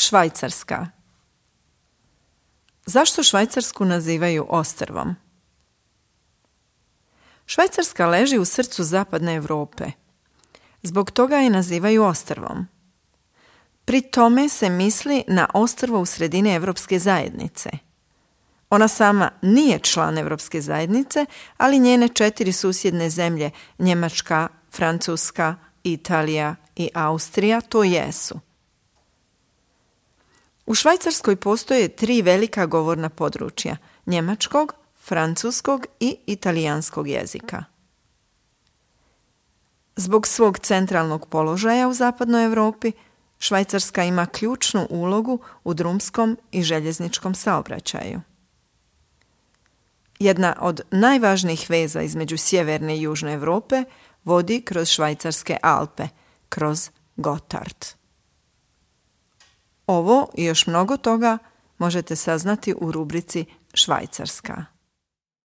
Švajcarska. Zašto Švajcarsku nazivaju ostrvom? Švajcarska leži u srcu zapadne Europe. Zbog toga je nazivaju ostrvom. Pri tome se misli na ostrvo u sredini Europske zajednice. Ona sama nije član Europske zajednice, ali njene 4 susjedne zemlje, Njemačka, Francuska, Italija i Austrija, to jesu. U Švajcarskoj postoje 3 velika govorna područja, njemačkog, francuskog i italijanskog jezika. Zbog svog centralnog položaja u zapadnoj Europi, Švajcarska ima ključnu ulogu u drumskom i željezničkom saobraćaju. Jedna od najvažnijih veza između sjeverne i južne Europe vodi kroz Švajcarske Alpe, kroz Gotthard. Ovo i još mnogo toga možete saznati u rubrici Švajcarska.